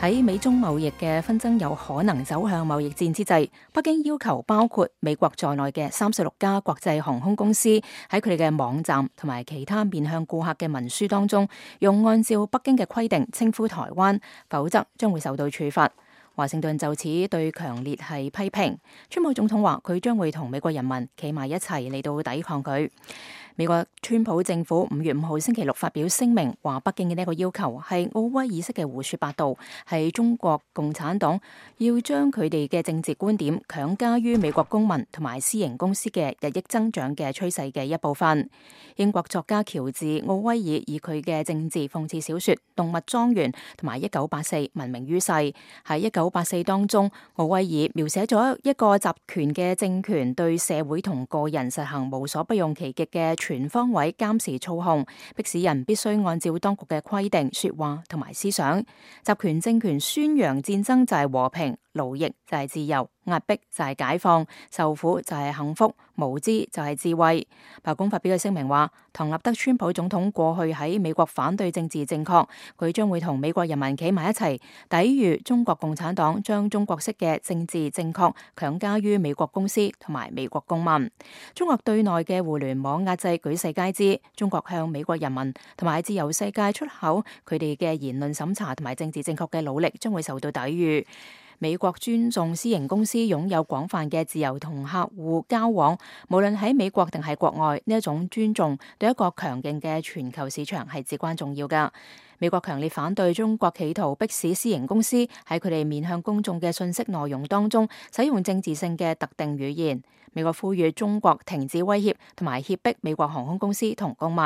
喺美中貿易嘅紛爭有可能走向貿易戰之際，北京要求包括美國在內嘅36家國際航空公司喺佢哋嘅網站同埋其他面向顧客嘅文書當中，用按照北京嘅規定稱呼台灣，否則將會受到處罰。華盛頓就此對強烈係批評。川普總統話佢將會同美國人民企埋一齊嚟到抵抗佢。美國川普政府5月5號星期六發表聲明，話北京嘅呢個要求係奧威爾式嘅胡說八道，係中國共產黨要將佢哋嘅政治觀點強加於美國公民同埋私營公司嘅日益增長嘅趨勢嘅一部分。英國作家喬治奧威爾以佢嘅政治諷刺小說《動物莊園》同埋《1984》聞名於世。喺《1984》當中，奧威爾描寫咗一個集權嘅政權對社會同個人實行無所不用其極嘅全方位監視操控，迫使人必須按照當局嘅規定說話同埋思想。集權政權宣揚戰爭就係和平，奴役就係自由，壓迫就係解放，受苦就係幸福，無知就係智慧。白宮發表嘅聲明話，唐納德川普總統過去喺美國反對政治正確，佢將會同美國人民企埋一齊，抵禦中國共產黨將中國式嘅政治正確強加於美國公司同埋美國公民。中國對內嘅互聯網壓制舉世皆知，中國向美國人民同埋自由世界出口佢哋嘅言論審查同埋政治正確嘅努力將會受到抵禦。美國尊重私營公司擁有廣泛嘅自由同客戶交往，無論喺美國定係國外，呢一種尊重對一個強勁嘅全球市場係至關重要㗎。美國強烈反對中國企圖迫使私營公司喺佢哋面向公眾嘅信息內容當中使用政治性嘅特定語言。美國呼籲中國停止威脅同埋脅迫美國航空公司同公民。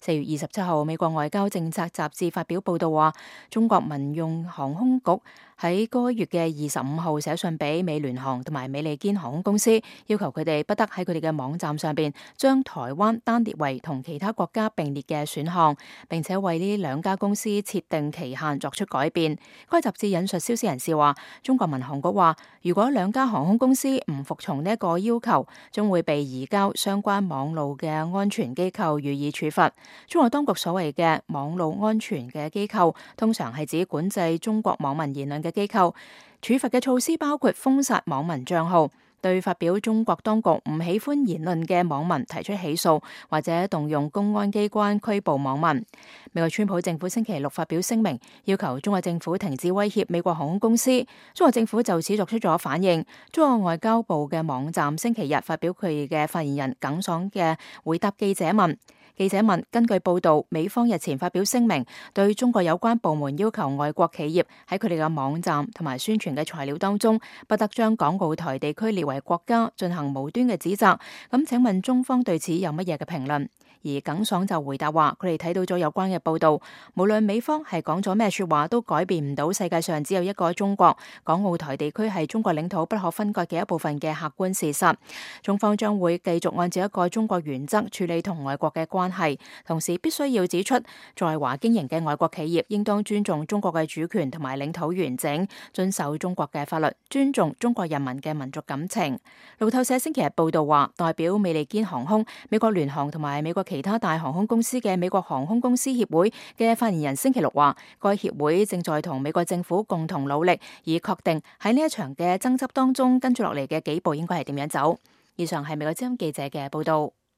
4月27號，美國外交政策雜誌發表報道話，中國民用航空局喺該月嘅25號寫信俾美聯航同埋美利堅航空公司，要求佢哋不得喺佢哋嘅網站上邊將台灣單列為同其他國家並列嘅選項，並且為呢兩家公司設定期限作出改變。該雜誌引述消息人士話，中國民航局話，如果兩家航空公司唔服從呢一個要求，將會被移交相關網路嘅安全機構予以處罰。中國當局所謂嘅網路安全嘅機構，通常係指管制中國網民言論嘅機構。處罰嘅措施包括封殺網民賬號，對發表中國當局唔喜歡言論嘅網民提出起訴，或者動用公安機關拘捕網民。美國川普政府星期六發表聲明，要求中國政府停止威脅美國航空公司。中國政府就此作出咗反應。中國外交部嘅網站星期日發表佢嘅發言人耿爽嘅回答記者問。記者問：根據報道，美方日前發表聲明，對中國有關部門要求外國企業喺佢哋嘅網站同埋宣傳嘅材料當中，不得將港澳台地區列為國家，進行無端嘅指責。咁請問中方對此有乜嘢嘅評論？而耿爽就回答話，佢哋睇到咗有關嘅報道，無論美方係講咗咩說話，都改變唔到世界上只有一個中國，港澳台地區係中國領土不可分割嘅一部分嘅客觀事實。中方將會繼續按照一個中國原則處理同外國嘅關係，同時必須要指出，在華經營嘅外國企業應當尊重中國嘅主權同埋領土完整，遵守中國嘅法律，尊重中國人民嘅民族感情。路透社星期日報道話，代表美利堅航空、美國聯航同埋美國其他大航空公司嘅美國航空公司協會嘅發言人星期六話，該協會正在同美國政府共同努力，以確定喺呢一場嘅爭執當中跟住落嚟嘅幾步應該係點樣走。以上係美國之音記者嘅報道。